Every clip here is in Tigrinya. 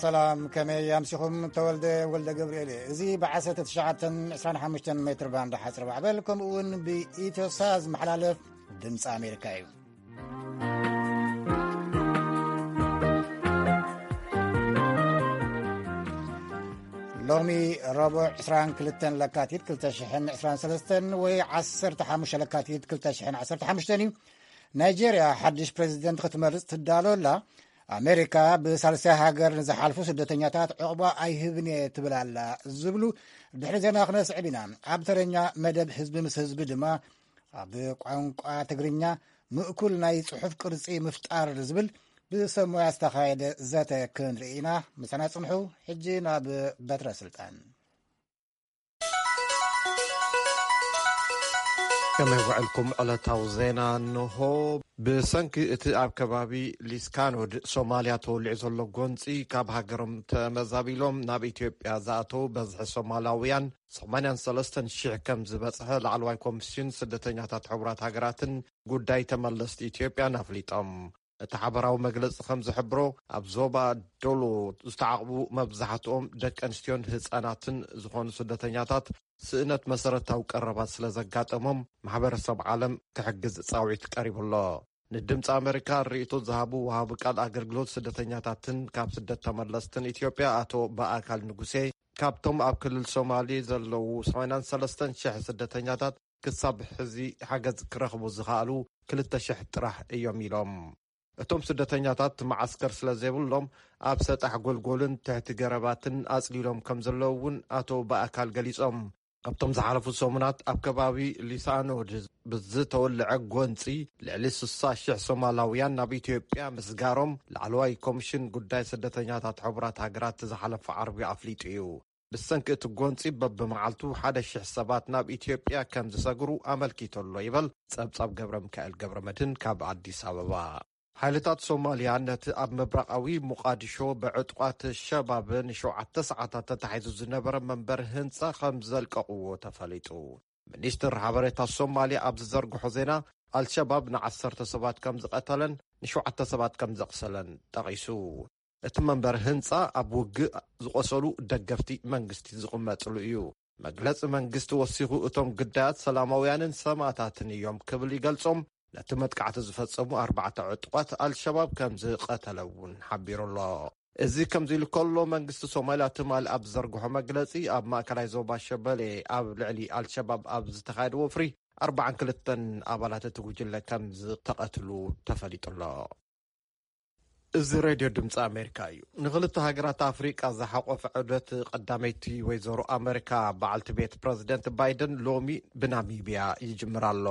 ሰላም፣ ከመይ ኣምሲኹም? ተወልደ ወልደ ገብርኤል እየ። እዚ ብ1925 ሜትር ባንድ ሓጽር ማዕበል፣ ከምኡ እውን ብኢትዮሳ ዝመሓላለፍ ድምፂ ኣሜሪካ እዩ። ሎሚ ረቡዕ 22 ለካቲት 2023 ወይ 15 ለካቲት 2015 እዩ። ናይጄርያ ሓድሽ ፕሬዚደንት ክትመርጽ ትዳሎ ኣላ። ኣሜሪካ ብሳልሳይ ሃገር ንዝሓልፉ ስደተኛታት ዕቑባ ኣይህብን እየ ትብል ኣላ ዝብሉ ድሕሪ ዜና ክነስዕብ ኢና። ኣብ ተረኛ መደብ ህዝቢ ምስ ህዝቢ ድማ ኣብ ቋንቋ ትግርኛ ምእኩል ናይ ጽሑፍ ቅርጺ ምፍጣር ዝብል ብሰብ ሞያ ዝተኻየደ ዘተ ክንርኢ ኢና። ምሳና ጽንሑ። ሕጂ ናብ በትረ ስልጣን። ከመይ ውዕልኩም? ዕለታዊ ዜና እንሆ። ብሰንኪ እቲ ኣብ ከባቢ ሊስካኖድ ሶማልያ ተወሊዑ ዘሎ ጎንፂ ካብ ሃገሮም ተመዛቢሎም ናብ ኢትዮጵያ ዝኣተው በዝሒ ሶማላውያን 83,000 ከም ዝበፅሐ ላዕለዋይ ኮሚሽን ስደተኛታት ሕቡራት ሃገራትን ጉዳይ ተመለስቲ ኢትዮጵያን ኣፍሊጦም። እቲ ሓበራዊ መግለፂ ከም ዝሕብሮ፣ ኣብ ዞባ ዶሎ ዝተዓቕቡ መብዛሕትኦም ደቂ ኣንስትዮን ህፃናትን ዝኾኑ ስደተኛታት ስእነት መሰረታዊ ቀረባት ስለ ዘጋጠሞም ማሕበረሰብ ዓለም ክሕግዝ ፃውዒት ቀሪቡ ኣሎ። ንድምፂ ኣሜሪካ ርእይቶ ዝሃቡ ወሃቢ ቃል ኣገልግሎት ስደተኛታትን ካብ ስደት ተመለስትን ኢትዮጵያ ኣቶ በኣካል ንጉሴ፣ ካብቶም ኣብ ክልል ሶማሌ ዘለዉ 83,000 ስደተኛታት ክሳብ ሕዚ ሓገዝ ክረኽቡ ዝኸኣሉ 2,000 ጥራሕ እዮም ኢሎም። እቶም ስደተኛታት መዓስከር ስለ ዘይብሎም ኣብ ሰጣሕ ጎልጎልን ትሕቲ ገረባትን ኣጽሊሎም ከም ዘለዉ እውን ኣቶ በኣካል ገሊጾም። ካብቶም ዝሓለፉ ሰሙናት ኣብ ከባቢ ሊሳኖድ ብዝተወልዐ ጎንጺ ልዕሊ 60,000 ሶማላውያን ናብ ኢትዮጵያ ምስጋሮም ላዕለዋይ ኮሚሽን ጉዳይ ስደተኛታት ሕቡራት ሃገራት ዝሓለፈ ዓርቢ ኣፍሊጡ እዩ። ብሰንኪ እቲ ጎንጺ በብመዓልቱ 1,000 ሰባት ናብ ኢትዮጵያ ከም ዝሰግሩ ኣመልኪቱ ኣሎ ይበል ጸብጻብ ገብረ ሚካኤል ገብረ መድህን ካብ ኣዲስ ኣበባ። ሓይልታት ሶማልያ ነቲ ኣብ ምብራቓዊ ሞቓዲሾ ብዕጡቓት ሸባብ ንሸውዓተ ሰዓታት ተታሒዙ ዝነበረ መንበሪ ህንጻ ከም ዘልቀቕዎ ተፈሊጡ። ሚኒስትር ሓበሬታ ሶማልያ ኣብ ዝዘርግሖ ዜና፣ ኣልሸባብ ንዓሰርተ ሰባት ከም ዝቐተለን ንሸውዓተ ሰባት ከም ዘቕሰለን ጠቒሱ። እቲ መንበሪ ህንጻ ኣብ ውግእ ዝቖሰሉ ደገፍቲ መንግስቲ ዝቕመጥሉ እዩ። መግለጺ መንግስቲ ወሲኹ፣ እቶም ግዳያት ሰላማውያንን ሰማእታትን እዮም ክብል ይገልጾም። ነቲ መጥቃዕቲ ዝፈጸሙ ኣርባዕተ ዕጡቓት ኣልሸባብ ከም ዝቐተለ እውን ሓቢሩ ኣሎ። እዚ ከምዚ ኢሉ ከሎ፣ መንግስቲ ሶማልያ ትማሊ ኣብ ዝዘርግሖ መግለጺ፣ ኣብ ማእከላይ ዞባ ሸበሌ ኣብ ልዕሊ ኣልሸባብ ኣብ ዝተኻየደ ወፍሪ ኣርባዓን ክልተን ኣባላት እቲ ጉጅለ ከም ዝተቐትሉ ተፈሊጡ ኣሎ። እዚ ሬድዮ ድምፂ ኣሜሪካ እዩ። ንክልተ ሃገራት ኣፍሪቃ ዝሓቆፈ ዑደት ቀዳመይቲ ወይዘሮ ኣሜሪካ በዓልቲ ቤት ፕረዚደንት ባይደን ሎሚ ብናሚብያ ይጅምር ኣሎ።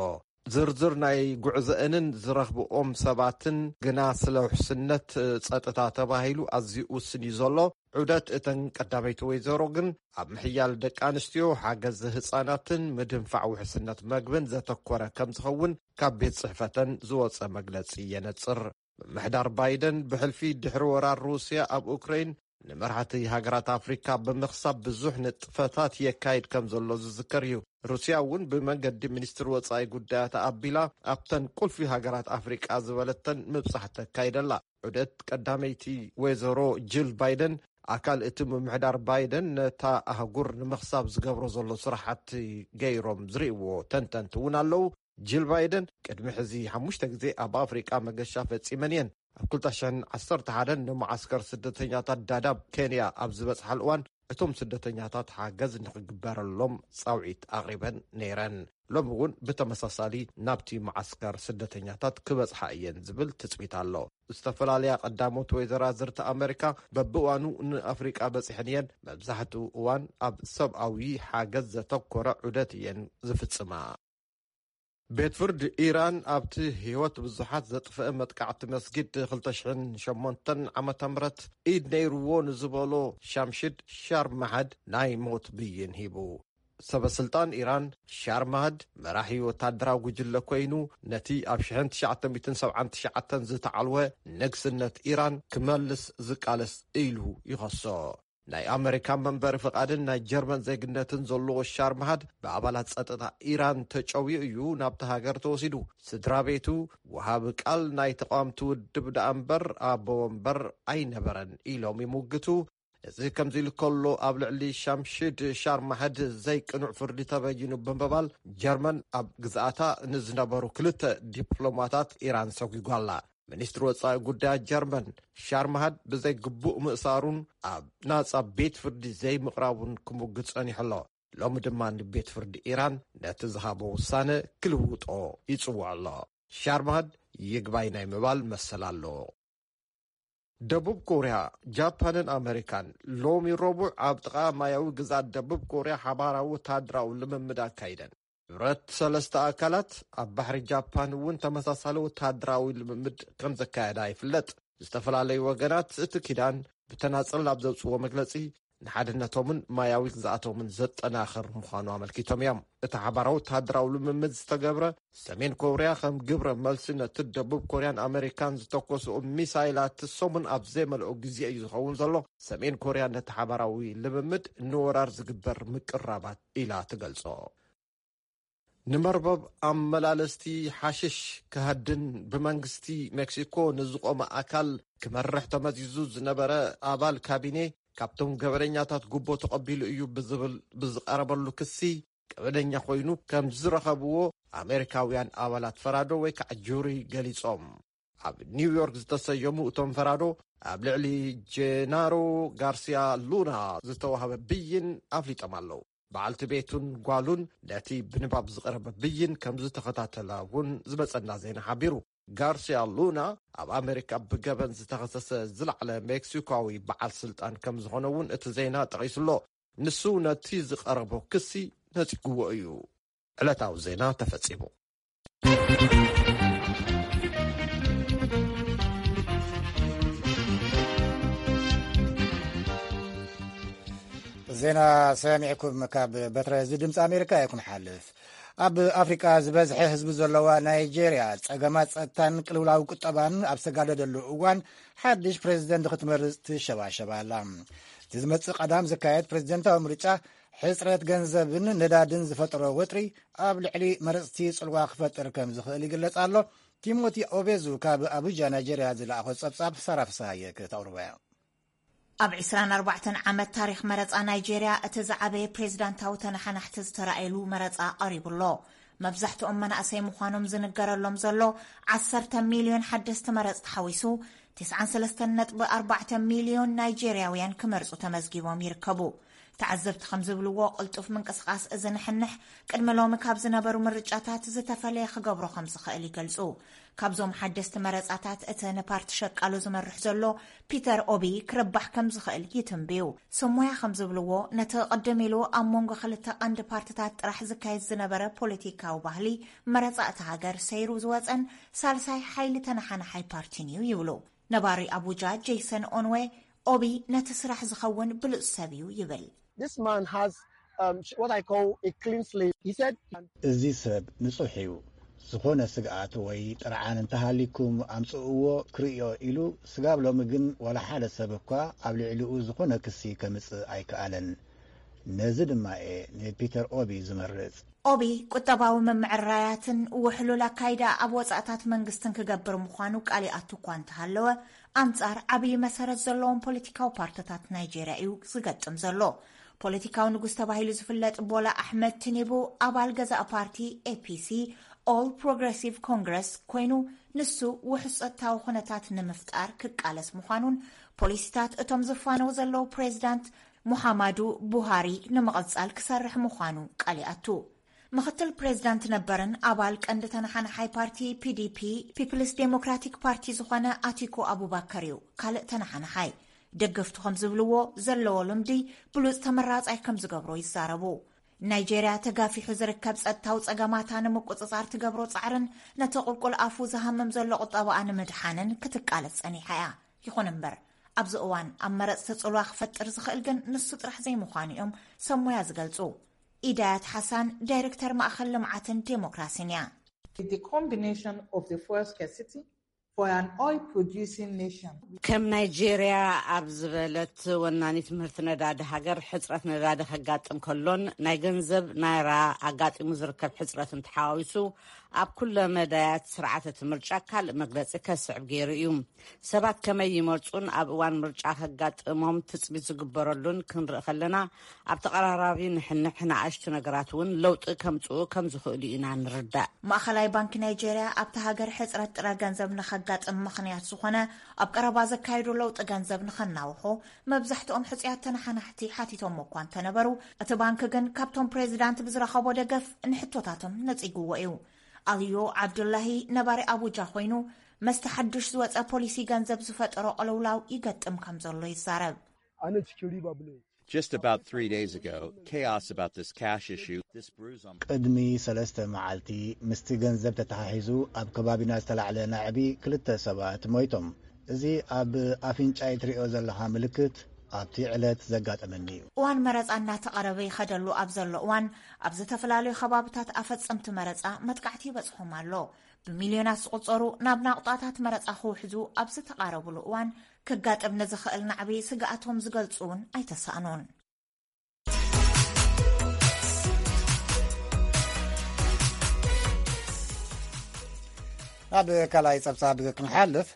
ዝርዝር ናይ ጉዕዘአንን ዝረኽብኦም ሰባትን ግና ስለ ውሕስነት ጸጥታ ተባሂሉ ኣዝዩ ውስን እዩ ዘሎ። ዑደት እተን ቀዳመይቲ ወይዘሮ ግን ኣብ ምሕያል ደቂ ኣንስትዮ፣ ሓገዝ ህጻናትን ምድንፋዕ ውሕስነት መግብን ዘተኮረ ከም ዝኸውን ካብ ቤት ጽሕፈተን ዝወጸ መግለጺ የነጽር። ምምሕዳር ባይደን ብሕልፊ ድሕሪ ወራር ሩስያ ኣብ ኡክረይን ንመራሕቲ ሃገራት ኣፍሪካ ብምኽሳብ ብዙሕ ንጥፈታት የካይድ ከም ዘሎ ዝዝከር እዩ። ሩስያ እውን ብመንገዲ ሚኒስትሪ ወጻኢ ጉዳያት ኣቢላ ኣብተን ቁልፊ ሃገራት ኣፍሪቃ ዝበለተን ምብጻሕ ተካይደላ። ዑደት ቀዳመይቲ ወይዘሮ ጅል ባይደን ኣካል እቲ ምምሕዳር ባይደን ነታ ኣህጉር ንምኽሳብ ዝገብሮ ዘሎ ስራሕቲ ገይሮም ዝርእይዎ ተንተንቲ እውን ኣለዉ። ጅል ባይደን ቅድሚ ሕዚ ሓሙሽተ ግዜ ኣብ ኣፍሪቃ መገሻ ፈጺመን እየን። ኣብ 2011 ንመዓስከር ስደተኛታት ዳዳብ ኬንያ ኣብ ዝበጽሓሉ እዋን፣ እቶም ስደተኛታት ሓገዝ ንኽግበረሎም ጻውዒት ኣቕሪበን ነይረን። ሎሚ እውን ብተመሳሳሊ ናብቲ መዓስከር ስደተኛታት ክበጽሓ እየን ዝብል ትጽቢት ኣሎ። ዝተፈላለያ ቀዳሞት ወይዘራዝርቲ ኣመሪካ በብእዋኑ ንኣፍሪቃ በጺሐን እየን። መብዛሕትኡ እዋን ኣብ ሰብኣዊ ሓገዝ ዘተኮረ ዑደት እየን ዝፍጽማ። ቤት ፍርድ ኢራን ኣብቲ ህይወት ብዙሓት ዘጥፍአ መጥቃዕቲ መስጊድ 2008 ዓመተ ምህረት ኢድ ነይርዎ ንዝበሎ ሻምሽድ ሻርማሃድ ናይ ሞት ብይን ሂቡ። ሰበ ስልጣን ኢራን ሻርማሃድ መራሒ ወታደራዊ ጉጅለ ኮይኑ፣ ነቲ ኣብ 1979 ዝተዓልወ ንግስነት ኢራን ክመልስ ዝቃለስ ኢሉ ይኸሶ። ናይ ኣመሪካ መንበሪ ፍቓድን ናይ ጀርመን ዜግነትን ዘለዎ ሻርማሃድ ብኣባላት ጸጥታ ኢራን ተጨውዩ እዩ ናብቲ ሃገር ተወሲዱ። ስድራ ቤቱ፣ ወሃቢ ቃል ናይ ተቓወምቲ ውድብ ደኣ እምበር ኣቦ ወንበር ኣይነበረን ኢሎም ይምግቱ። እዚ ከምዚ ኢሉ ከሎ፣ ኣብ ልዕሊ ሻምሽድ ሻርማሃድ ዘይቅኑዕ ፍርዲ ተበይኑ ብምባል፣ ጀርመን ኣብ ግዝኣታ ንዝነበሩ ክልተ ዲፕሎማታት ኢራን ሰጒጓ ኣላ። ሚኒስትሪ ወጻኢ ጉዳያት ጀርመን፣ ሻርማሃድ ብዘይ ግቡእ ምእሳሩን ኣብ ናጻ ቤት ፍርዲ ዘይምቕራቡን ክምጉት ጸኒሑ ኣሎ። ሎሚ ድማ ንቤት ፍርዲ ኢራን ነቲ ዝሃቦ ውሳነ ክልውጦ ይጽውዕ ኣሎ። ሻርማሃድ ይግባይ ናይ ምባል መሰል ኣለዎ። ደቡብ ኮርያ፣ ጃፓንን ኣመሪካን ሎሚ ረቡዕ ኣብ ጥቓ ማያዊ ግዝኣት ደቡብ ኮርያ ሓባራዊ ወተሃደራዊ ልምምድ ኣካይደን። ሕብረት ሰለስተ ኣካላት ኣብ ባሕሪ ጃፓን እውን ተመሳሳሊ ወተሃደራዊ ልምምድ ከም ዘካየዳ ይፍለጥ። ዝተፈላለዩ ወገናት እቲ ኪዳን ብተናጸል ኣብ ዘውጽዎ መግለጺ፣ ንሓድነቶምን ማያዊ ግዝኣቶምን ዘጠናኽር ምዃኑ ኣመልኪቶም እዮም። እቲ ሓባራዊ ወተሃደራዊ ልምምድ ዝተገብረ፣ ሰሜን ኮርያ ከም ግብረ መልሲ ነቲ ደቡብ ኮርያን ኣመሪካን ዝተኮስኡ ሚሳይላት ሰሙን ኣብ ዘይመልኦ ግዜ እዩ ዝኸውን ዘሎ። ሰሜን ኮርያ ነቲ ሓባራዊ ልምምድ ንወራር ዝግበር ምቅራባት ኢላ ትገልጾ። ንመርበብ ኣመላለስቲ ሓሽሽ ክሃድን ብመንግስቲ ሜክሲኮ ንዝቖመ ኣካል ክመርሕ ተመዚዙ ዝነበረ ኣባል ካቢኔ፣ ካብቶም ገበነኛታት ጉቦ ተቐቢሉ እዩ ብዝብል ብዝቐረበሉ ክሲ፣ ገበነኛ ኮይኑ ከም ዝረኸብዎ ኣሜሪካውያን ኣባላት ፈራዶ ወይ ከዓ ጁሪ ገሊጾም። ኣብ ኒውዮርክ ዝተሰየሙ እቶም ፈራዶ፣ ኣብ ልዕሊ ጄናሮ ጋርሲያ ሉና ዝተዋህበ ብይን ኣፍሊጦም ኣለዉ። በዓልቲ ቤቱን ጓሉን ነቲ ብንባብ ዝቐረበ ብይን ከም ዝተኸታተላ እውን ዝመጸና ዜና ሓቢሩ። ጋርሲያ ሉና ኣብ ኣሜሪካ ብገበን ዝተኸሰሰ ዝለዓለ ሜክሲኮዊ በዓል ስልጣን ከም ዝኾነ እውን እቲ ዜና ጠቒሱ ኣሎ። ንሱ ነቲ ዝቐረቦ ክሲ ነጺግዎ እዩ። ዕለታዊ ዜና ተፈጺሙ። ዜና ሰሚዕኩም ካብ በትረ እዚ ድምፂ ኣሜሪካ እየ ክንሓልፍ። ኣብ ኣፍሪቃ ዝበዝሐ ህዝቢ ዘለዋ ናይጄርያ ጸገማት ጸጥታን ቅልውላው ቁጠባን ኣብ ዝተጋደደሉ እዋን ሓድሽ ፕሬዚደንት ክትመርጽ ትሸባሸብ ኣላ። እቲ ዝመጽእ ቀዳም ዝካየድ ፕሬዚደንታዊ ምርጫ ሕጽረት ገንዘብን ነዳድን ዝፈጠሮ ወጥሪ ኣብ ልዕሊ መረጽቲ ጽልዋ ክፈጥር ከም ዝኽእል ይግለጽ ኣሎ። ቲሞቲ ኦቤዙ ካብ ኣቡጃ ናይጄርያ ዝለኣኾ ጸብጻብ ሳራ ፍስሃየ ክተቕርቦ እያ። ኣብ ዕስራን ኣርባዕተን ዓመት ታሪኽ መረጻ ናይጄርያ እቲ ዝዓበየ ፕሬዚዳንታዊ ተነሓናሕቲ ዝተራእየሉ መረጻ ቀሪቡ ኣሎ። መብዛሕትኦም መናእሰይ ምዃኖም ዝንገረሎም ዘሎ ዓሰርተ ሚልዮን ሓደስቲ መረጽቲ ሓዊሱ፣ ትስዓን ሰለስተን ነጥቢ ኣርባዕተ ሚልዮን ናይጄርያውያን ክመርጹ ተመዝጊቦም ይርከቡ። ተዓዘብቲ ከም ዝብልዎ፣ ቅልጡፍ ምንቅስቓስ እዚ ንሕንሕ ቅድሚ ሎሚ ካብ ዝነበሩ ምርጫታት ዝተፈለየ ክገብሮ ከም ዝኽእል ይገልጹ። ካብዞም ሓደስቲ መረጻታት እቲ ንፓርቲ ሸቃሎ ዝመርሕ ዘሎ ፒተር ኦቢ ክርባሕ ከም ዝኽእል ይትንብዩ። ሰሞያ ከም ዝብልዎ፣ ነቲ ቅድም ኢሉ ኣብ መንጎ ክልተ ቀንዲ ፓርትታት ጥራሕ ዝካየድ ዝነበረ ፖለቲካዊ ባህሊ፣ መረጻ እታ ሃገር ሰይሩ ዝወጸን ሳልሳይ ሓይሊ ተነሓናሓይ ፓርቲን እዩ ይብሉ። ነባሪ ኣቡጃ ጄሰን ኦንዌ፣ ኦቢ ነቲ ስራሕ ዝኸውን ብሉጽ ሰብ እዩ ይብል። This man has um, what I call a clean slate. He said, እዚ ሰብ ንጹሕ እዩ። ዝኾነ ስግኣት ወይ ጥርዓን እንተሃሊኩም ኣምጽእዎ ክርእዮ ኢሉ፣ ስጋብ ሎሚ ግን ዋላ ሓደ ሰብ እኳ ኣብ ልዕሊኡ ዝኾነ ክሲ ከምጽእ ኣይከኣለን። ነዚ ድማ እየ ንፒተር ኦቢ ዝመርጽ። ኦቢ ቁጠባዊ ምምዕራያትን ውሕሉል ኣካይዳ ኣብ ወጻእታት መንግስትን ክገብር ምዃኑ ቃል ይኣቱ እኳ እንተሃለወ፣ ኣንጻር ዓብዪ መሰረት ዘለዎም ፖለቲካዊ ፓርትታት ናይጄርያ እዩ ዝገጥም ዘሎ። ፖለቲካዊ ንጉስ ተባሂሉ ዝፍለጥ ቦላ ኣሕመድ ቲኒቡ ኣባል ገዛእ ፓርቲ ኤፒሲ፣ ኦል ፕሮግረሲቭ ኮንግረስ፣ ኮይኑ፣ ንሱ ውሑስ ጸጥታዊ ኩነታት ንምፍጣር ክቃለስ ምዃኑን ፖሊሲታት እቶም ዝፋነው ዘለዉ ፕሬዚዳንት ሙሓማዱ ቡሃሪ ንምቕጻል ክሰርሕ ምዃኑ ቃል ይኣቱ። ምኽትል ፕሬዚዳንት ነበርን ኣባል ቀንዲ ተነሓናሓይ ፓርቲ ፒዲፒ፣ ፒፕልስ ዴሞክራቲክ ፓርቲ፣ ዝኾነ ኣቲኩ ኣቡባከር እዩ ካልእ ተነሓናሓይ። ደገፍቱ ከም ዝብልዎ፣ ዘለዎ ልምዲ ብሉጽ ተመራጻይ ከም ዝገብሮ ይዛረቡ። ናይጄርያ ተጋፊሑ ዝርከብ ጸጥታዊ ጸገማታ ንምቁጽጻር ትገብሮ ጻዕርን ነቲ ቁልቁል ኣፉ ዝሃምም ዘሎ ቁጠባኣ ንምድሓንን ክትቃለስ ጸኒሓ እያ። ይኹን እምበር፣ ኣብዚ እዋን ኣብ መረጽቲ ጽልዋ ክፈጥር ዝኽእል ግን ንሱ ጥራሕ ዘይምዃኑ እዮም ሰብ ሞያ ዝገልጹ። ኢዳያት ሓሳን፣ ዳይረክተር ማእኸል ልምዓትን ዴሞክራሲን እያ። The combination of the fuel scarcity for an oil producing nation. ከም ናይጄርያ ኣብ ዝበለት ወናኒት ምህርቲ ነዳዲ ሃገር፣ ሕፅረት ነዳዲ ከጋጥም ከሎን ናይ ገንዘብ ናይራ ኣጋጢሙ ዝርከብ ሕፅረትን ተሓዋዊሱ፣ ኣብ ኩለ መዳያት ስርዓት እቲ ምርጫ ካልእ መግለፂ ከስዕብ ገይሩ እዩ። ሰባት ከመይ ይመርፁን ኣብ እዋን ምርጫ ከጋጥሞም ትፅቢት ዝግበረሉን ክንርኢ ከለና፣ ኣብ ተቐራራቢ ንሕንሕ ንኣሽቱ ነገራት እውን ለውጢ ከምፅኡ ከም ዝኽእሉ ኢና ንርዳእ። ማእኸላይ ባንኪ ናይጄርያ ኣብቲ ሃገር ሕፅረት ጥረ ገንዘብ ንኸጋጥም ምኽንያት ዝኾነ ኣብ ቀረባ ዘካየዱ ለውጢ ገንዘብ ንኸናውሑ መብዛሕትኦም ሕፁያት ተነሓናሕቲ ሓቲቶም እኳ እንተነበሩ፣ እቲ ባንኪ ግን ካብቶም ፕሬዚዳንት ብዝረኸቦ ደገፍ ንሕቶታቶም ነፂግዎ እዩ። ኣልዮ ዓብዱላሂ ነባሪ ኣቡጃ ኮይኑ፣ መስተ ሓዱሽ ዝወፀ ፖሊሲ ገንዘብ ዝፈጠሮ ቅልውላው ይገጥም ከም ዘሎ ይዛረብ። Just about three days ago, chaos about this cash issue. This brews on ቅድሚ ሰለስተ መዓልቲ ምስቲ ገንዘብ ተተሓሒዙ ኣብ ከባቢና ዝተላዕለ ናዕቢ ክልተ ሰባት ሞይቶም። እዚ ኣብ ኣፍንጫይ ትሪኦ ዘለኻ ምልክት ኣብቲ ዕለት ዘጋጠመኒ እዩ። እዋን መረፃ እናተቐረበ ይኸደሉ ኣብ ዘሎ እዋን፣ ኣብ ዝተፈላለዩ ከባብታት ኣፈፀምቲ መረፃ መጥቃዕቲ ይበፅሖም ኣሎ። ብሚልዮናት ዝቑፀሩ ናብ ናቑጣታት መረፃ ክውሕዙ ኣብ ዝተቓረብሉ እዋን፣ ክጋጥም ንዝኽእል ናዕቢ ስግኣቶም ዝገልፁ እውን ኣይተሳእኑን። ናብ ካልኣይ ጸብጻብ ክንሓልፍ፣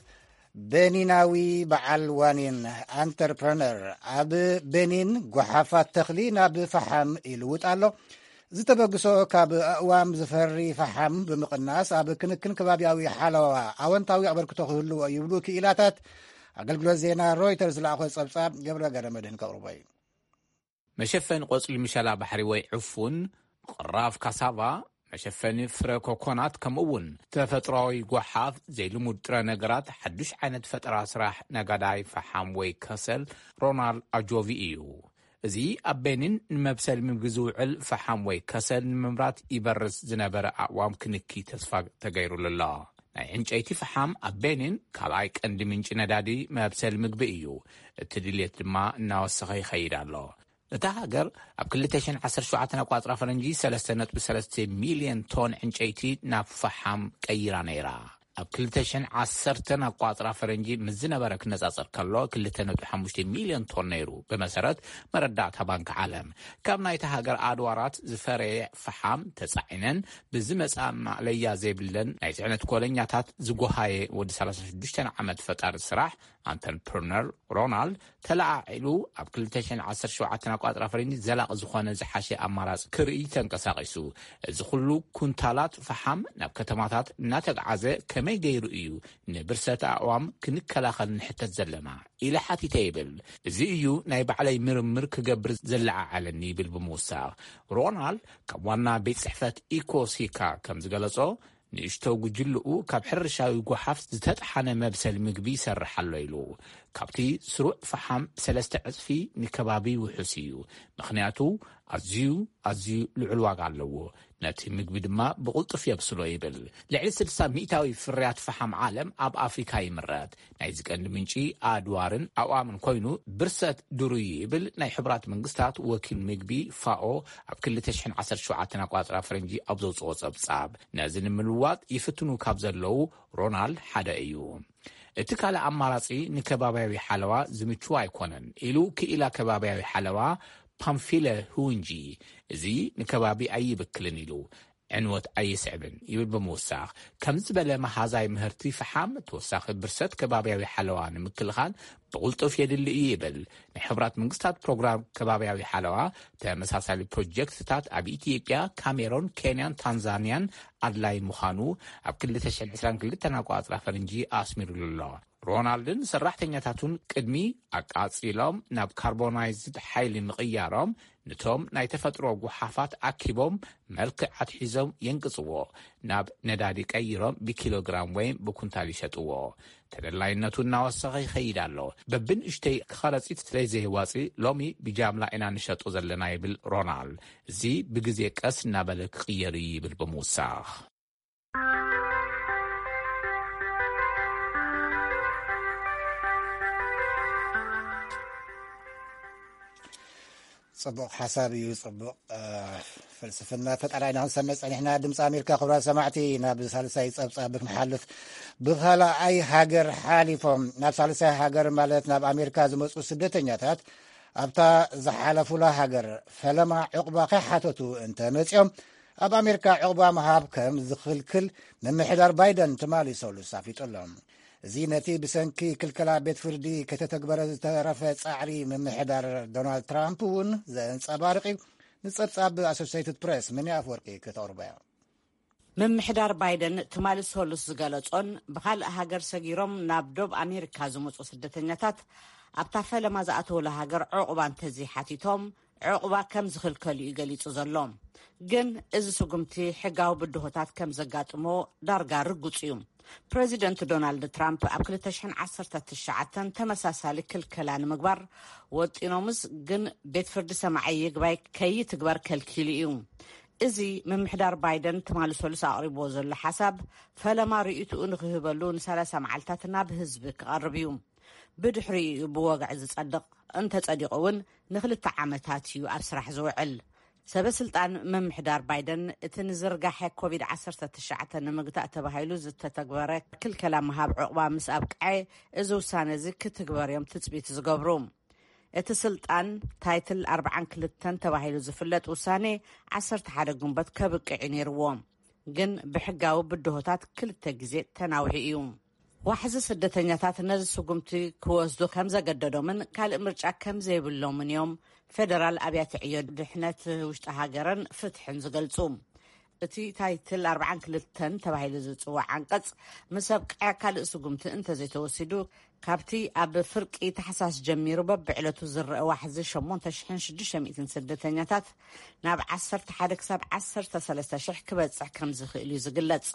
ቤኒናዊ በዓል ዋኒን፣ ኣንተርፕረነር፣ ኣብ ቤኒን ጓሓፋት ተኽሊ ናብ ፈሓም ይልውጥ ኣሎ። ዝተበግሶ ካብ ኣእዋም ዝፈሪ ፈሓም ብምቕናስ ኣብ ክንክን ከባቢያዊ ሓለዋ ኣወንታዊ ኣበርክቶ ክህልዎ ይብሉ ክኢላታት። ኣገልግሎት ዜና ሮይተርስ ዝለኣኾ ጸብጻብ ገብረ ገረመድህን ከቕርቦ እዩ። መሸፈኒ ቆጽሊ ምሸላ ባሕሪ ወይ ዕፉን፣ ቕራፍ ካሳቫ፣ መሸፈኒ ፍረ ኮኮናት፣ ከምኡ እውን ተፈጥሮኣዊ ጓሓፍ፣ ዘይልሙድ ጥረ ነገራት፣ ሓዱሽ ዓይነት ፈጠራ ስራሕ ነጋዳይ ፈሓም ወይ ከሰል ሮናል ኣጆቪ እዩ። እዚ ኣብ ቤኒን ንመብሰል ምግቢ ዝውዕል ፈሓም ወይ ከሰል ንምምራት ይበርስ ዝነበረ ኣእዋም ክንኪ ተስፋ ተገይሩሉ ኣሎ። ናይ ዕንጨይቲ ፈሓም ኣብ ቤኒን ካልኣይ ቀንዲ ምንጪ ነዳዲ መብሰል ምግቢ እዩ። እቲ ድልየት ድማ እናወሰኸ ይኸይድ ኣሎ። እታ ሃገር ኣብ ክልተ ሽሕን ዓሰርተ ሸውዓተን ኣቋጽራ ፈረንጂ ሰለስተ ነጥቢ ሰለስተ ሚልዮን ቶን ዕንጨይቲ ናብ ፈሓም ቀይራ ነይራ። ኣብ ክልተ ሽሕን ዓሰርተን ኣቋጽራ ፈረንጂ ምስ ዝነበረ ክነጻጸር ከሎ ክልተ ነጥቢ ሓሙሽተ ሚልዮን ቶን ነይሩ፣ ብመሰረት መረዳእታ ባንክ ዓለም። ካብ ናይታ ሃገር ኣድዋራት ዝፈረየ ፈሓም ተጻዒነን ብዝመጻ ማእለያ ዘይብለን ናይ ጽዕነት ኮለኛታት ዝጎሃየ ወዲ ሰላሳ ሽዱሽተ ዓመት ፈጣሪ ስራሕ ኣንተርፕርነር ሮናልድ ተለዓዒሉ ኣብ ክልተ ሽሕን ዓሰርተ ሸውዓተን ኣቋጽራ ፈረንጂ ዘላቒ ዝኾነ ዝሓሸ ኣማራጺ ክርኢ ተንቀሳቒሱ። እዚ ኩሉ ኩንታላት ፈሓም ናብ ከተማታት እናተግዓዘ ከመይ ገይሩ እዩ ንብርሰት ኣእዋም ክንከላኸል ንሕተት ዘለና? ኢለ ሓቲተ ይብል። እዚ እዩ ናይ ባዕለይ ምርምር ክገብር ዘለዓዓለኒ ይብል ብምውሳኽ። ሮናልድ ካብ ዋና ቤት ጽሕፈት ኢኮሲካ ከም ዝገለጾ፣ ንእሽቶ ጉጅልኡ ካብ ሕርሻዊ ጓሓፍ ዝተጥሓነ መብሰል ምግቢ ይሰርሕ ኣሎ ኢሉ። ካብቲ ስሩዕ ፈሓም ሰለስተ ዕጽፊ ንከባቢ ውሑስ እዩ፣ ምኽንያቱ ኣዝዩ ኣዝዩ ልዑል ዋጋ ኣለዎ፣ ነቲ ምግቢ ድማ ብቕልጡፍ የብስሎ ይብል። ልዕሊ ስድሳ ሚእታዊ ፍርያት ፈሓም ዓለም ኣብ ኣፍሪካ ይምረት። ናይዚ ቀንዲ ምንጪ ኣድዋርን ኣእዋምን ኮይኑ ብርሰት ድሩይ ይብል ናይ ሕቡራት መንግስታት ወኪል ምግቢ ፋኦ ኣብ ክልተ ሽሕን ዓሰርተ ሸውዓተን ኣቋጽራ ፈረንጂ ኣብ ዘውፅኦ ጸብጻብ። ነዚ ንምልዋጥ ይፍትኑ ካብ ዘለዉ ሮናልድ ሓደ እዩ። እቲ ካልእ ኣማራጺ ንከባብያዊ ሓለዋ ዝምችው ኣይኮነን ኢሉ ክኢላ ከባብያዊ ሓለዋ ፓምፊለ ሁንጂ። እዚ ንከባቢ ኣይብክልን ኢሉ ዕንወት ኣይስዕብን ይብል ብምውሳኽ፣ ከምዚ ዝበለ መሃዛይ ምህርቲ ፈሓም ተወሳኺ ብርሰት ከባብያዊ ሓለዋ ንምክልኻል ብቕልጡፍ የድሊ እዩ ይብል። ናይ ሕቡራት መንግስታት ፕሮግራም ከባብያዊ ሓለዋ ተመሳሳሊ ፕሮጀክትታት ኣብ ኢትዮጵያ፣ ካሜሮን፣ ኬንያን ታንዛንያን ኣድላይ ምዃኑ ኣብ ክልተ ሽሕን ዕስራን ክልተን ኣቋጽራ ፈረንጂ ኣስሚሩሉ ኣሎ። ሮናልድን ሰራሕተኛታቱን ቅድሚ ኣቃጺሎም ናብ ካርቦናይዝድ ሓይሊ ምቕያሮም፣ ነቶም ናይ ተፈጥሮ ጉሓፋት ኣኪቦም መልክዕ ኣትሒዞም የንቅጽዎ፣ ናብ ነዳዲ ቀይሮም ብኪሎግራም ወይ ብኩንታል ይሸጥዎ። ተደላይነቱ እናወሰኸ ይኸይድ ኣሎ። በብንእሽተይ ከረጺት ስለዘየዋጽእ ሎሚ ብጃምላ ኢና ንሸጦ ዘለና ይብል ሮናልድ። እዚ ብግዜ ቀስ እናበለ ክቕየር እዩ ይብል ብምውሳኽ። ጽቡቕ ሓሳብ እዩ። ጽቡቕ ፍልስፍና ፈጠራ ኢና ክንሰምዕ ጸኒሕና። ድምፂ ኣሜሪካ፣ ክቡራት ሰማዕቲ፣ ናብ ሳልሳይ ጸብጻብ ክንሓልፍ፣ ብኻልኣይ ሃገር ሓሊፎም ናብ ሳልሳይ ሃገር፣ ማለት ናብ ኣሜሪካ ዝመፁ ስደተኛታት፣ ኣብታ ዝሓለፉላ ሃገር ፈለማ ዕቑባ ከይሓተቱ እንተመፂኦም፣ ኣብ ኣሜሪካ ዕቑባ ምሃብ ከም ዝኽልክል ምምሕዳር ባይደን ትማሊ ሰሉስ ኣፍሊጡ ኣሎ። እዚ ነቲ ብሰንኪ ክልከላ ቤት ፍርዲ ከተተግበረ ዝተረፈ ጻዕሪ ምምሕዳር ዶናልድ ትራምፕ እውን ዘንጸባርቕ እዩ። ንጸብጻብ ኣሶሲየትድ ፕሬስ፣ ምኒ ኣፍወርቂ፣ ከተቕርቦ እያ። ምምሕዳር ባይደን ትማሊ ሰሉስ ዝገለጾን፣ ብኻልእ ሃገር ሰጊሮም ናብ ዶብ ኣሜሪካ ዝመጹ ስደተኛታት፣ ኣብታ ፈለማ ዝኣተውላ ሃገር ዕቑባ እንተዘይሓቲቶም፣ ዕቑባ ከም ዝኽልከሉ እዩ ገሊጹ ዘሎ። ግን እዚ ስጉምቲ ሕጋዊ ብድሆታት ከም ዘጋጥሞ ዳርጋ ርጉጽ እዩ። ፕረዚደንት ዶናልድ ትራምፕ ኣብ ክልተ ሽሕን ዓሰርተ ትሽዓተን ተመሳሳሊ ክልከላ ንምግባር ወጢኖምስ፣ ግን ቤት ፍርዲ ሰማዒ ይግባይ ከይትግበር ከልኪሉ እዩ። እዚ ምምሕዳር ባይደን ትማሊ ሰሉስ ኣቕሪብዎ ዘሎ ሓሳብ፣ ፈለማ ርእይትኡ ንኽህበሉ ንሰላሳ መዓልታት ናብ ህዝቢ ክቐርብ እዩ። ብድሕሪኡ እዩ ብወግዒ ዝጸድቕ። እንተጸዲቑ እውን ንኽልተ ዓመታት እዩ ኣብ ስራሕ ዝውዕል። ሰበ ስልጣን ምምሕዳር ባይደን፣ እቲ ንዝርጋሐ ኮቪድ ዓሰርተ ትሽዓተ ንምግታእ ተባሂሉ ዝተተግበረ ክልከላ ምሃብ ዕቑባ ምስ ኣብቅዐ፣ እዚ ውሳነ እዚ ክትግበር እዮም ትጽቢት ዝገብሩ። እቲ ስልጣን፣ ታይትል ኣርብዓን ክልተን ተባሂሉ ዝፍለጥ ውሳኔ፣ ዓሰርተ ሓደ ግንቦት ከብቅዕ እዩ ነይርዎ። ግን ብሕጋዊ ብድሆታት ክልተ ግዜ ተናውሒ እዩ። ዋሕዚ ስደተኛታት ነዚ ስጉምቲ ክወስዱ ከም ዘገደዶምን ካልእ ምርጫ ከም ዘይብሎምን እዮም ፌደራል ኣብያተ ዕዮ ድሕነት ውሽጢ ሃገርን ፍትሕን ዝገልጹ። እቲ ታይትል ኣርብዓን ክልተን ተባሂሉ ዝጽዋዕ ዓንቀጽ፣ ምስ ኣብቅዐ ካልእ ስጉምቲ እንተዘይተወሲዱ፣ ካብቲ ኣብ ፍርቂ ታሕሳስ ጀሚሩ በብዕለቱ ዝረአ ዋሕዚ ሸሞንተ ሽሕን ሽዱሽተ ሚእትን ስደተኛታት፣ ናብ ዓሰርተ ሓደ ክሳብ ዓሰርተ ሰለስተ ሽሕ ክበጽሕ ከም ዝኽእል እዩ ዝግለጽ።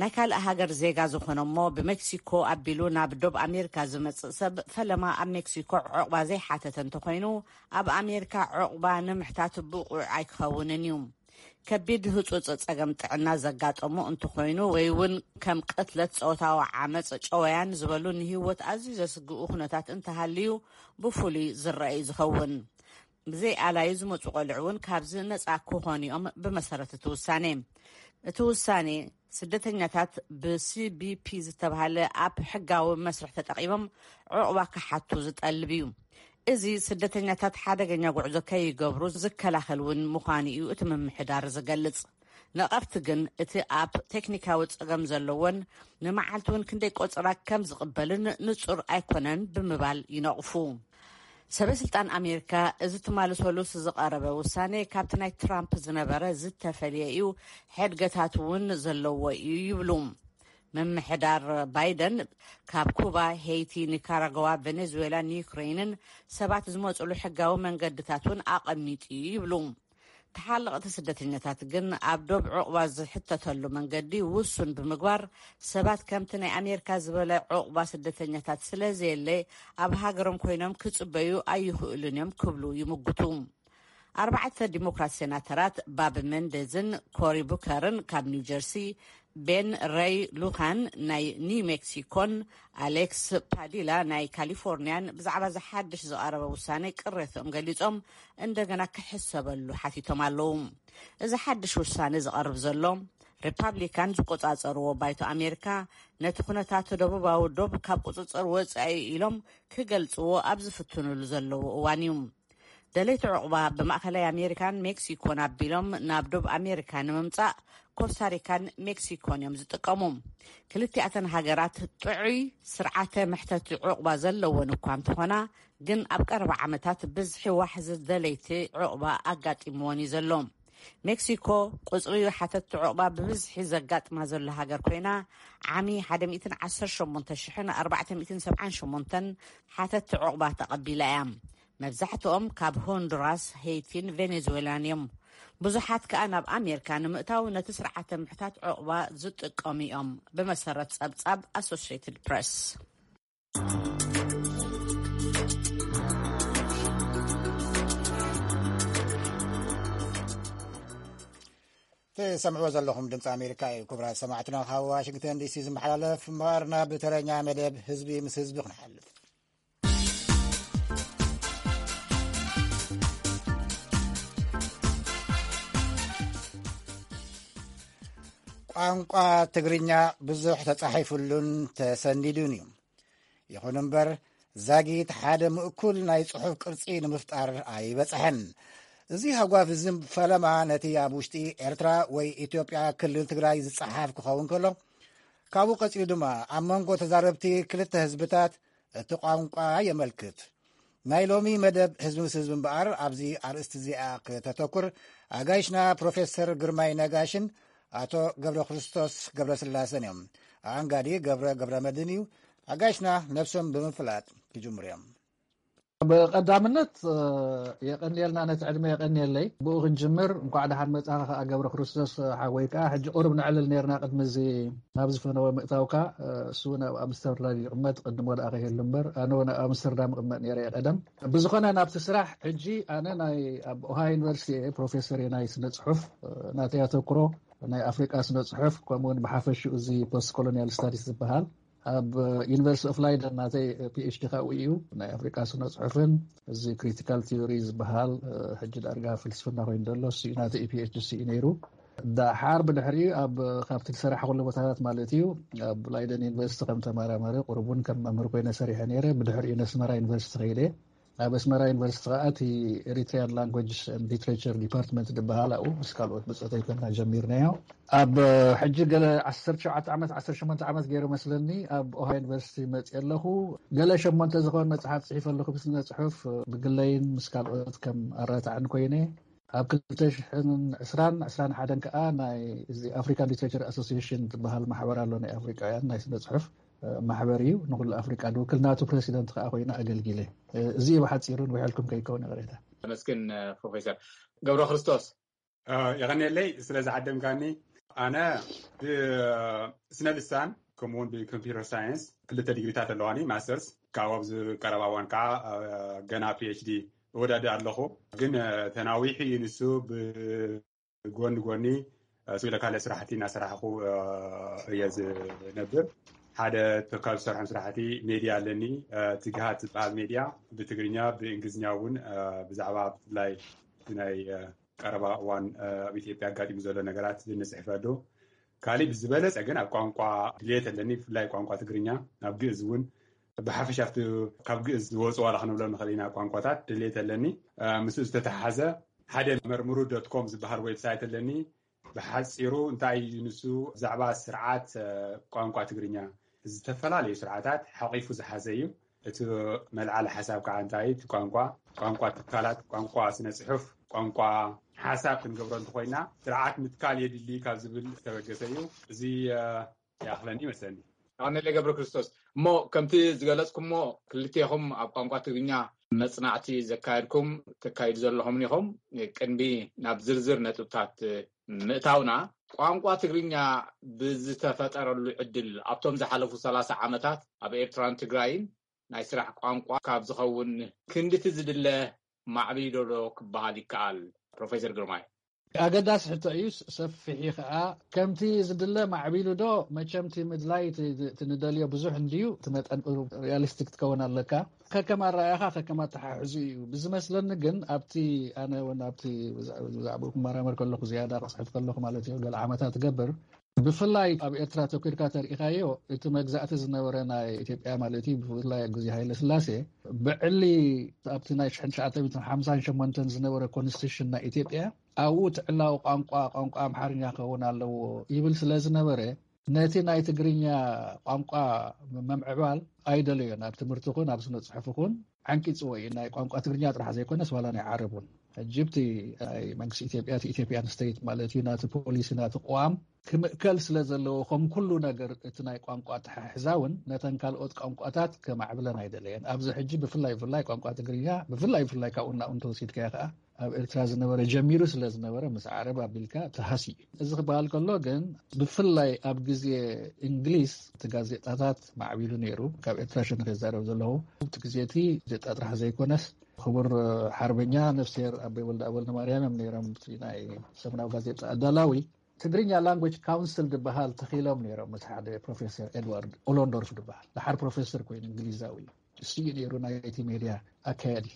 ናይ ካልእ ሃገር ዜጋ ዝኾነ እሞ ብሜክሲኮ ኣቢሉ ናብ ዶብ ኣሜሪካ ዝመጽእ ሰብ፣ ፈለማ ኣብ ሜክሲኮ ዕቑባ ዘይሓተተ እንተኾይኑ፣ ኣብ ኣሜሪካ ዕቑባ ንምሕታት ብቑዕ ኣይክኸውንን እዩ። ከቢድ ህጹጽ ጸገም ጥዕና ዘጋጠሞ እንተኾይኑ፣ ወይ እውን ከም ቅትለት፣ ጾታዊ ዓመጽ፣ ጨወያን ዝበሉ ንህይወት ኣዝዩ ዘስግኡ ኩነታት እንተሃልዩ፣ ብፍሉይ ዝረአ እዩ ዝኸውን። ብዘይ ኣላዩ ዝመጹ ቆልዑ እውን ካብዚ ነጻ ክኾኑ እዮም፣ ብመሰረት እቲ ውሳኔ። እቲ ውሳኔ፣ ስደተኛታት ብሲቢፒ ዝተባህለ ኣብ ሕጋዊ መስርሕ ተጠቒሞም ዕቑባ ክሓቱ ዝጠልብ እዩ። እዚ ስደተኛታት ሓደገኛ ጉዕዞ ከይገብሩ ዝከላኸል እውን ምዃኑ እዩ እቲ ምምሕዳር ዝገልጽ። ነቐፍቲ ግን፣ እቲ ኣብ ቴክኒካዊ ጸገም ዘለዎን ንመዓልቲ እውን ክንደይ ቆጸራ ከም ዝቕበልን ንጹር ኣይኮነን ብምባል ይነቕፉ። ሰበ ስልጣን ኣሜሪካ፣ እዚ ትማሊ ሰሉስ ዝቐረበ ውሳኔ ካብቲ ናይ ትራምፕ ዝነበረ ዝተፈልየ እዩ፣ ሕድገታት እውን ዘለዎ እዩ ይብሉ። ምምሕዳር ባይደን፣ ካብ ኩባ፣ ሄይቲ፣ ኒካራጓ፣ ቬኔዙዌላን ዩክሬንን ሰባት ዝመጹሉ ሕጋዊ መንገድታት እውን ኣቐሚጡ እዩ ይብሉ። ተሓለቕቲ ስደተኛታት ግን፣ ኣብ ዶብ ዕቑባ ዝሕተተሉ መንገዲ ውሱን ብምግባር፣ ሰባት ከምቲ ናይ ኣሜሪካ ዝበለ ዕቑባ ስደተኛታት ስለ ዘየለ፣ ኣብ ሃገሮም ኮይኖም ክጽበዩ ኣይኽእሉን እዮም ክብሉ ይምጉቱ። ኣርባዕተ ዲሞክራት ሴናተራት፣ ባብ ሜንዴዝን ኮሪ ቡከርን ካብ ኒው ጀርሲ፣ ቤን ረይ ሉካን ናይ ኒው ሜክሲኮን ኣሌክስ ፓዲላ ናይ ካሊፎርኒያን፣ ብዛዕባ እዚ ሓድሽ ዝቐረበ ውሳኔ ቅሬትኦም ገሊጾም፣ እንደገና ክሕሰበሉ ሓቲቶም ኣለዉ። እዚ ሓድሽ ውሳኔ ዝቐርብ ዘሎ፣ ሪፓብሊካን ዝቆጻጸርዎ ባይቶ ኣሜሪካ፣ ነቲ ኩነታት ደቡባዊ ዶብ ካብ ቁጽጽር ወጻኢ ኢሎም ክገልጽዎ ኣብ ዝፍትኑሉ ዘለዉ እዋን እዩ። ደለይቲ ዕቑባ ብማእከላይ ኣሜሪካን ሜክሲኮን ኣቢሎም ናብ ዶብ ኣሜሪካ ንምምጻእ፣ ኮስታሪካን ሜክሲኮን እዮም ዝጥቀሙ። ክልቲኣተን ሃገራት ጥዑይ ስርዓተ መሕተቲ ዕቑባ ዘለወን እኳ እንተኾና፣ ግን ኣብ ቀረባ ዓመታት ብዝሒ ዋሕዚ ደለይቲ ዕቑባ ኣጋጢምወን እዩ ዘሎ። ሜክሲኮ፣ ቁጽሪ ሓተቲ ዕቑባ ብብዝሒ ዘጋጥማ ዘሎ ሃገር ኮይና፣ ዓሚ ሓደ ሚእትን ዓሰርተ ሸሞንተ ሽሕን ኣርባዕተ ሚእትን ሰብዓን ሸሞንተን ሓተቲ ዕቑባ ተቐቢላ እያ። መብዛሕትኦም ካብ ሆንዱራስ፣ ሄይቲን ቬኔዙዌላን እዮም። ብዙሓት ከኣ ናብ ኣሜሪካ ንምእታው ነቲ ስርዓተ ምሕታት ዕቑባ ዝጥቀሙ እዮም፣ ብመሰረት ጸብጻብ ኣሶሲየትድ ፕረስ። ትሰምዕዎ ዘለኹም ድምፂ ኣሜሪካ እዩ። ክቡራት ሰማዕትና፣ ካብ ዋሽንግተን ዲሲ ዝመሓላለፍ ምቕራብና፣ ብተረኛ መደብ ህዝቢ ምስ ህዝቢ ክንሓልፍ። ቋንቋ ትግርኛ ብዙሕ ተጻሒፉሉን ተሰኒዱን እዩ። ይኹን እምበር፣ ዛጊት ሓደ ምእኩል ናይ ጽሑፍ ቅርጺ ንምፍጣር ኣይበጽሐን። እዚ ሃጓፍ እዚ ፈለማ ነቲ ኣብ ውሽጢ ኤርትራ ወይ ኢትዮጵያ ክልል ትግራይ ዝጸሓፍ ክኸውን ከሎ፣ ካብኡ ቀጺሉ ድማ ኣብ መንጎ ተዛረብቲ ክልተ ህዝብታት እቲ ቋንቋ የመልክት። ናይ ሎሚ መደብ ህዝቢ ምስ ህዝቢ እምበኣር ኣብዚ ኣርእስቲ እዚኣ ክተተኩር ኣጋይሽና ፕሮፌሰር ግርማይ ነጋሽን ኣቶ ገብረ ክርስቶስ ገብረ ስላሰን እዮም። ኣኣንጋዲ ገብረ ገብረ መድን እዩ። ኣጋይሽና ነብሶም ብምፍላጥ ክጅምሩ እዮም። ብቐዳምነት የቐንየልና፣ ነቲ ዕድመ የቐንየለይ። ብኡ ክንጅምር፣ እንኳዕ ደሓን መጻኻ ከኣ ገብረ ክርስቶስ ሓወይ። ከኣ ሕጂ ቁሩብ ንዕልል ነርና ቅድሚ እዚ ናብ ዝፈነወ ምእታውካ። እሱ እውን ኣብ ኣምስተርዳም ይቕመጥ፣ ቅድሞ ደኣ ከይህሉ እምበር፣ ኣነ እውን ኣብ ኣምስተርዳም እቕመጥ ነይረ እየ ቀደም። ብዝኾነ ናብቲ ስራሕ ሕጂ፣ ኣነ ናይ ኣብ ኦሃዮ ዩኒቨርሲቲ እየ ፕሮፌሰር እየ ናይ ስነ ጽሑፍ። ናተይ ኣተኩሮ ናይ ኣፍሪቃ ስነ ጽሑፍ፣ ከምኡ እውን ብሓፈሽኡ እዚ ፖስት ኮሎኒያል ስታዲስ ዝበሃል ኣብ ዩኒቨርሲቲ ኦፍ ላይደን ናተይ ፒኤችዲ ካብኡ እዩ። ናይ ኣፍሪቃ ስነ ጽሑፍን እዚ ክሪቲካል ቲዮሪ ዝበሃል ሕጂ ዳርጋ ፍልስፍና ኮይኑ ዘሎ እሱ እዩ። ናተይ ፒኤችዲ እሱ እዩ ነይሩ። ዳሓር ብድሕሪኡ ኣብ ካብቲ ዝሰራሕኩሉ ቦታታት ማለት እዩ፣ ኣብ ላይደን ዩኒቨርሲቲ ከም ተመራማሪ ቁሩብ እውን ከም መምህር ኮይነ ሰሪሐ ነይረ። ብድሕሪኡ ነስመራ ዩኒቨርሲቲ ከይደ። ኣብ ኣስመራ ዩኒቨርሲቲ ከዓ እቲ ኤሪትሪያን ላንጉጅ ሊትሬቸር ዲፓርትመንት ዝበሃል ኣብኡ ምስ ካልኦት ብፆተይ ኮይና ጀሚርናዮ። ኣብ ሕጂ ገለ ዓሰርተ ሸውዓተ ዓመት ዓሰርተ ሸሞንተ ዓመት ገይሩ መስለኒ ኣብ ኦሃዮ ዩኒቨርሲቲ መፅእ ኣለኹ። ገለ ሸሞንተ ዝኾን መፅሓፍ ፅሒፈ ኣለኹ ብስነ ፅሑፍ ብግለይን ምስ ካልኦት ከም ኣረታዕን ኮይነ። ኣብ ክልተ ሽሕን ዕስራን ዕስራን ሓደን ከዓ ናይ እዚ ኣፍሪካን ሊትሬቸር ኣሶሲሽን ዝበሃል ማሕበር ኣሎ ናይ ኣፍሪቃውያን ናይ ስነ ፅሑፍ ማሕበር እዩ። ንኩሉ ኣፍሪቃ ድውክል ናቱ ፕረሲደንት ከዓ ኮይነ ኣገልጊለ። እዚ ብሓፂሩ ንውሕልኩም ከይከውን ይቕሬታ። ተመስግን። ፕሮፌሰር ገብረ ክርስቶስ። የቐንየለይ ስለ ዝዓደምካኒ። ኣነ ብስነ ልሳን ከምኡውን ብኮምፒተር ሳይንስ ክልተ ዲግሪታት ኣለዋኒ ማስተርስ። ካብኡ ኣብዚ ቀረባ እዋን ከዓ ገና ፒኤችዲ እወዳድእ ኣለኹ። ግን ተናዊሑ እዩ ንሱ። ብጎኒ ጎኒ ስለ ካልእ ስራሕቲ እናሰራሕኩ እየ ዝነብር። ሓደ ካብ ዝሰርሖም ስራሕቲ ሜድያ ኣለኒ። ትግሃት ዝበሃል ሜድያ ብትግርኛ ብእንግሊዝኛ እውን ብዛዕባ ብፍላይ ናይ ቀረባ እዋን ኣብ ኢትዮጵያ ኣጋጢሙ ዘሎ ነገራት ንፅሕፈሉ። ካሊእ ብዝበለፀ ግን ኣብ ቋንቋ ድልየት ኣለኒ፣ ብፍላይ ቋንቋ ትግርኛ፣ ኣብ ግእዝ እውን ብሓፈሻ ኣብቲ ካብ ግእዝ ዝወፁ ዋላ ክንብሎም ንኽእል ኢና ቋንቋታት ድልየት ኣለኒ። ምስኡ ዝተተሓሓዘ ሓደ መርምሩ ዶት ኮም ዝበሃል ዌብሳይት ኣለኒ። ብሓፂሩ እንታይ እዩ ንሱ፣ ብዛዕባ ስርዓት ቋንቋ ትግርኛ፣ ዝተፈላለዩ ስርዓታት ሓቂፉ ዝሓዘ እዩ። እቲ መልዓሊ ሓሳብ ከዓ እንታይ እቲ ቋንቋ ቋንቋ ትካላት ቋንቋ ስነ ፅሑፍ ቋንቋ ሓሳብ ክንገብሮ እንተኮይና ስርዓት ምትካል የድሊ ካብ ዝብል ዝተበገሰ እዩ። እዚ ይኣኽለኒ ይመስለኒ። ኣነ ገብረ ክርስቶስ። እሞ ከምቲ ዝገለፅኩሞ ክልቴኹም ኣብ ቋንቋ ትግርኛ መፅናዕቲ ዘካየድኩም ተካይዱ ዘለኹም ኢኹም። ቅድሚ ናብ ዝርዝር ነጥብታት ምእታውና ቋንቋ ትግርኛ ብዝተፈጠረሉ ዕድል ኣብቶም ዝሓለፉ ሰላሳ ዓመታት ኣብ ኤርትራን ትግራይን ናይ ስራሕ ቋንቋ ካብ ዝኸውን ክንድቲ ዝድለ ማዕቢሉ ዶ ክበሃል ይከኣል? ፕሮፌሰር ግርማይ። ኣገዳሲ ሕቶ እዩ። ሰፊሕ እዩ ከዓ። ከምቲ ዝድለ ማዕቢሉ ዶ? መቸም እቲ ምድላይ እቲ ንደልዮ ብዙሕ እንድዩ። እቲ መጠን ሪያሊስቲክ ትከውን ኣለካ። ከከም ኣረኣያኻ ከከም ኣተሓሕዙ እዩ ብዝመስለኒ። ግን ኣብቲ ኣነ እውን ኣብቲ ብዛዕባኡ ክመራመር ከለኹ ዝያዳ ክፅሕፍ ከለኹ ማለት እዩ ገለ ዓመታት ትገብር ብፍላይ ኣብ ኤርትራ ተኪርካ ተሪኢኻዮ እቲ መግዛእቲ ዝነበረ ናይ ኢትዮጵያ ማለት እዩ ብፍላይ ኣብ ግዜ ሃይለ ስላሴ ብዕሊ ኣብቲ ናይ ሽሕን ትሽዓተ ሚእትን ሓምሳን ሸሞንተን ዝነበረ ኮንስቲቱሽን ናይ ኢትዮጵያ ኣብኡ እቲ ዕላዊ ቋንቋ ቋንቋ ኣምሓርኛ ክኸውን ኣለዎ ይብል ስለ ዝነበረ ነቲ ናይ ትግርኛ ቋንቋ መምዕባል ኣይደለዮን ኣብ ትምህርቲ ኹን ኣብ ስነ ፅሑፍ ኹን ዓንቂፅዎ እዩ ናይ ቋንቋ ትግርኛ ጥራሕ ዘይኮነስ ዋላ ናይ ዓረብ እውን ሕጂ ብቲ ናይ መንግስቲ ኢትዮጵያ እቲ ኢትዮጵያን ስቴት ማለት እዩ ናቲ ፖሊሲ ናቲ ቅዋም ክምእከል ስለ ዘለዎ ከም ኩሉ ነገር እቲ ናይ ቋንቋ ኣተሓሕዛ እውን ነተን ካልኦት ቋንቋታት ከማዕብለን ኣይደለየን ኣብዚ ሕጂ ብፍላይ ብፍላይ ቋንቋ ትግርኛ ብፍላይ ብፍላይ ካብኡ እናኡ እንተወሲድካዮ ከዓ ኣብ ኤርትራ ዝነበረ ጀሚሩ ስለ ዝነበረ ምስ ዓረብ ኣቢልካ ተሃስዩ እዩ እዚ ክበሃል ከሎ ግን ብፍላይ ኣብ ግዜ እንግሊዝ እቲ ጋዜጣታት ማዕቢሉ ነይሩ ካብ ኤርትራ ሸነኽ ይዛረብ ዘለኹ እቲ ግዜ እቲ ጋዜጣ ጥራሕ ዘይኮነስ ክቡር ሓርበኛ ነፍስሄር ኣቦይ ወልደኣብ ወልደማርያም እዮም ነይሮም እቲ ናይ ሰሙናዊ ጋዜጣ ኣዳላዊ ትግርኛ language council ዝበሃል ተኺሎም ነይሮም ምስ ሓደ ፕሮፌሰር ኤድዋርድ ኦሎንዶርፍ ዝበሃል ደሓር ፕሮፌሰር ኮይኑ እንግሊዛዊ እዩ እሱ እዩ ነይሩ ናይቲ ሜድያ ኣካያዲ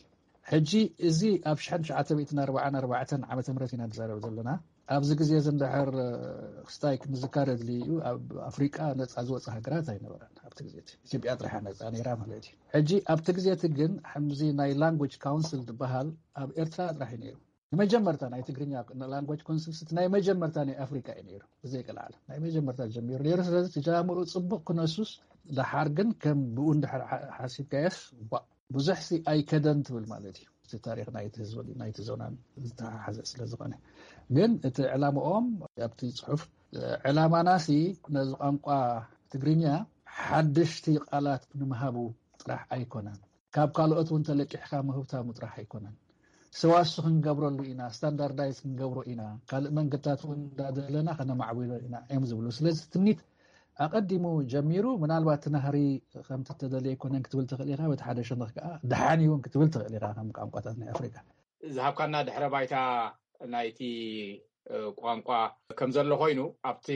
ሕጂ እዚ ኣብ ሽሕን ትሽዓተ ሚእትን ኣርባዓን ኣርባዕተን ዓመተ ምህረት ኢና ንዛረብ ዘለና ኣብዚ ግዜ እዚ እንድሕር ክስታይ ክንዝካር ኣድልዩ እዩ። ኣብ ኣፍሪቃ ነፃ ዝወፀ ሃገራት ኣይነበረን ኣብቲ ግዜ እቲ። ኢትዮጵያ ጥራሓ ነፃ ነይራ ማለት እዩ። ሕጂ ኣብቲ ግዜ እቲ ግን ከምዚ ናይ ላንጉጅ ካውንስል ዝበሃል ኣብ ኤርትራ ጥራሕ እዩ ነይሩ። ንመጀመርታ ናይ ትግርኛ ላንጉጅ ካውንስል ስቲ ናይ መጀመርታ ናይ ኣፍሪቃ እዩ ነይሩ። ብዘይቀልዓለ ናይ መጀመርታ ጀሚሩ ነይሩ። ስለዚ ትጃምሩ ፅቡቅ ክነሱስ፣ ደሓር ግን ከም ብኡ እንድሕር ሓሲብካየስ ብዙሕ ሲ ኣይከደን ትብል ማለት እዩ። እቲ ታሪኽ ናይቲ ህዝቢ ናይቲ ዞናን ዝተሓሓዘ ስለ ዝኾነ። ግን እቲ ዕላምኦም ኣብቲ ፅሑፍ፣ ዕላማናሲ ነዚ ቋንቋ ትግርኛ ሓደሽቲ ቃላት ንምሃቡ ጥራሕ ኣይኮነን፣ ካብ ካልኦት እውን ተለቂሕካ ምህብታሙ ጥራሕ ኣይኮነን፣ ሰዋሱ ክንገብረሉ ኢና፣ ስታንዳርዳይዝ ክንገብሮ ኢና፣ ካልእ መንገድታት እውን እንዳደለና ከነማዕብሎ ኢና እዮም ዝብሉ። ስለዚ ትምኒት ኣቐዲሙ ጀሚሩ። ምናልባት እቲ ናህሪ ከምቲ ተደልየ ኣይኮነን ክትብል ትኽእል ኢኻ፣ በቲ ሓደ ሸነኽ ከዓ ደሓን እውን ክትብል ትኽእል ኢኻ። ከም ቋንቋታት ናይ ኣፍሪካ ዝሃብካና ድሕረ ባይታ ናይቲ ቋንቋ ከም ዘሎ ኮይኑ፣ ኣብቲ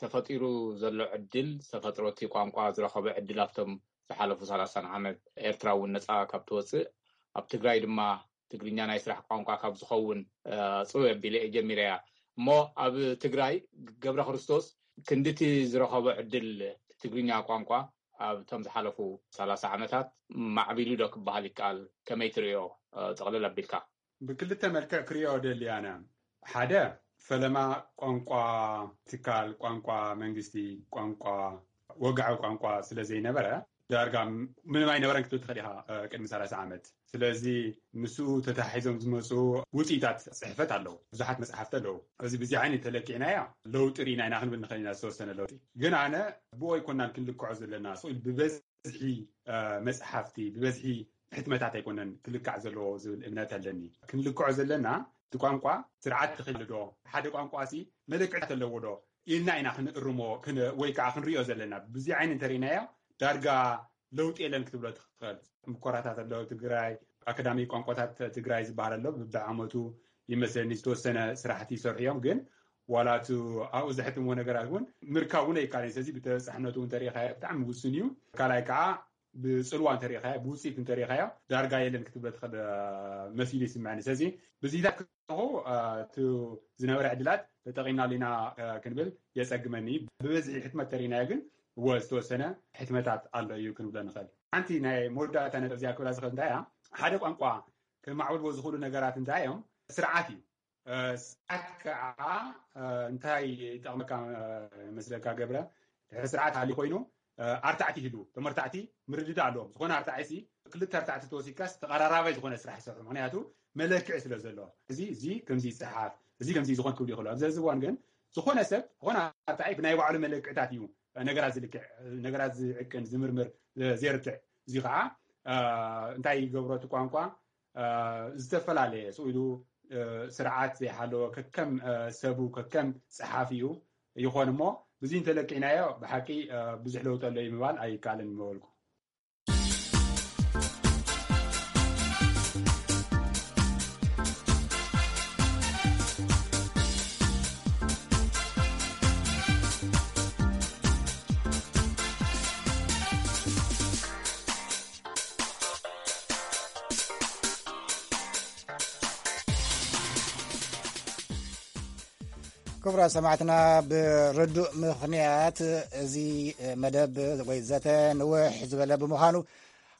ተፈጢሩ ዘሎ ዕድል፣ ዝተፈጥሮ እቲ ቋንቋ ዝረኸበ ዕድል ኣብቶም ዝሓለፉ ሰላሳን ዓመት ኤርትራ እውን ነፃ ካብ ትወፅእ ኣብ ትግራይ ድማ ትግርኛ ናይ ስራሕ ቋንቋ ካብ ዝኸውን ፅው ኣቢለ እየ ጀሚረያ። እሞ ኣብ ትግራይ ገብረ ክርስቶስ ክንድቲ ዝረኸቦ ዕድል ትግርኛ ቋንቋ ኣብቶም ዝሓለፉ ሰላሳ ዓመታት ማዕቢሉ ዶ ክበሃል ይከኣል? ከመይ ትርእዮ? ጥቕልል ኣቢልካ። ብክልተ መልክዕ ክርእዮ ደሊ ኣነ። ሓደ ፈለማ ቋንቋ ትካል፣ ቋንቋ መንግስቲ፣ ቋንቋ ወግዓዊ ቋንቋ ስለ ዘይነበረ ዳርጋ ምንም ኣይነበረን ክትብል ትኽእል ኢኻ ቅድሚ ሰላሳ ዓመት። ስለዚ ምስኡ ተታሒዞም ዝመፁ ውፅኢታት ፅሕፈት ኣለዉ፣ ብዙሓት መፅሓፍቲ ኣለዉ። እዚ ብዚ ዓይነት ተለኪዕናያ ለውጢ ርኢና ኢና ክንብል ንኽእል ኢና። ዝተወሰነ ለውጢ ግን ኣነ ብኡ ኣይኮናን ክንልክዖ ዘለና። ስቕ ኢሉ ብበዝሒ መፅሓፍቲ፣ ብበዝሒ ሕትመታት ኣይኮነን ክልካዕ ዘለዎ ዝብል እምነት ኣለኒ። ክንልክዖ ዘለና እቲ ቋንቋ ስርዓት ክህሉ ዶ፣ ሓደ ቋንቋ ሲ መለክዕታት ኣለዎ ዶ ኢልና ኢና ክንእርሞ ወይ ከዓ ክንሪኦ ዘለና። ብዚ ዓይኒ እንተሪእናዮ ዳርጋ ለውጢ የለን ክትብሎ ትኽእል። ምኮራታት ኣለዉ። ትግራይ ኣካዳሚ ቋንቋታት ትግራይ ዝበሃል ኣሎ። ብዓመቱ ይመስለኒ ዝተወሰነ ስራሕቲ ይሰርሑ እዮም። ግን ዋላ እቲ ኣብኡ ዘሕትምዎ ነገራት እውን ምርካብ እውን ኣይካልን። ስለዚ ብተበፃሕነቱ እንተሪኢኻዮ ብጣዕሚ ውሱን እዩ። ካልኣይ ከዓ ብፅልዋ እንተሪኢኻዮ፣ ብውፅኢት እንተሪኢኻዮ ዳርጋ የለን ክትብሎ ትኽእል መሲሉ ይስምዐኒ። ስለዚ ብዚታት ከለኹ እቲ ዝነበረ ዕድላት ተጠቒምናሉ ኢና ክንብል የፀግመኒ። ብበዝሒ ሕትመት ተሪኢናዮ ግን እወ ዝተወሰነ ሕትመታት ኣሎ እዩ ክንብሎ ንኽእል። ሓንቲ ናይ መወዳእታ ነጥብ እዚኣ ክብላ ዝኽእል እንታይ እያ፣ ሓደ ቋንቋ ከማዕብልዎ ዝኽእሉ ነገራት እንታይ እዮም? ስርዓት እዩ። ስርዓት ከዓ እንታይ ይጠቕመካ መስለካ ገብረ? ድሕሪ ስርዓት ሃልዩ ኮይኑ ኣርታዕቲ ይህልዉ። እቶም ኣርታዕቲ ምርድዳእ ኣለዎም። ዝኾነ ኣርታዒ ሲ ክልተ ኣርታዕቲ ተወሲድካስ ተቐራራባይ ዝኾነ ስራሕ ይሰርሑ። ምክንያቱ መለክዒ ስለ ዘለዎ። እዚ እዚ ከምዚ ይፀሓፍ፣ እዚ ከምዚ ዝኾን ክብሉ ይኽእሉ። ኣብዚ ሕዚ እዋን ግን ዝኾነ ሰብ ዝኾነ ኣርታዒ ብናይ ባዕሉ መለክዕታት እዩ ነገራት ዝልክዕ፣ ነገራት ዝዕቅን፣ ዝምርምር፣ ዘየርትዕ። እዚ ከዓ እንታይ ይገብሮ? እቲ ቋንቋ ዝተፈላለየ ስቕ ኢሉ ስርዓት ዘይሓለወ ከከም ሰቡ ከከም ፀሓፊኡ ይኾን እሞ ብዚ እንተለኪዕናዮ ብሓቂ ብዙሕ ለውጢ ኣሎ እዩ ምባል ኣይከኣልን ምበልኩ። ክቡራት ሰማዕትና፣ ብርዱእ ምኽንያት እዚ መደብ ወይ ዘተ ንውሕ ዝበለ ብምዃኑ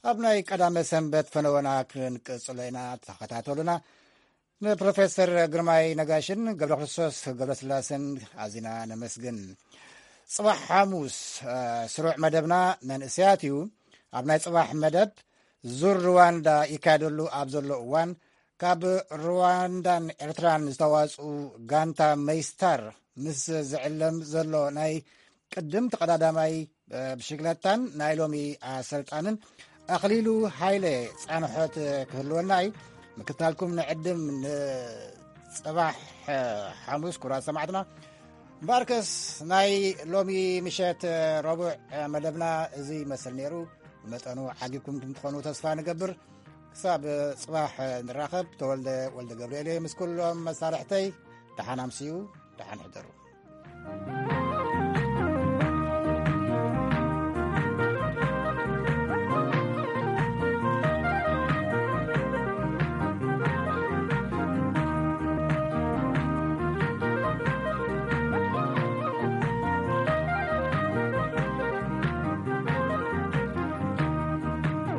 ኣብ ናይ ቀዳመ ሰንበት ፈነወና ክንቅጽሎ ኢና። ተኸታተሉና። ንፕሮፌሰር ግርማይ ነጋሽን ገብረ ክርስቶስ ገብረ ስላሰን ኣዚና ነመስግን። ጽባሕ ሓሙስ ስሩዕ መደብና መንእሰያት እዩ። ኣብ ናይ ጽባሕ መደብ ዙር ሩዋንዳ ይካየደሉ ኣብ ዘሎ እዋን ካብ ሩዋንዳን ኤርትራን ዝተዋፅኡ ጋንታ መይስታር ምስ ዝዕለም ዘሎ ናይ ቅድም ተቐዳዳማይ ብሽግለታን ናይ ሎሚ ኣሰልጣንን ኣኽሊሉ ሃይለ ፃንሖት ክህልወና እዩ። ምክታልኩም ንዕድም። ንፅባሕ ሓሙስ ኩራት ሰማዕትና። እምበኣርከስ ናይ ሎሚ ምሸት ረቡዕ መደብና እዚ ይመስል ነይሩ። ብመጠኑ ዓጊብኩም ትኾኑ ተስፋ ንገብር። ክሳብ ፅባሕ ንራኸብ። ተወልደ ወልደ ገብርኤል እየ ምስ ኩሎም መሳርሕተይ። ደሓን ኣምስዩ፣ ደሓን ሕደሩ።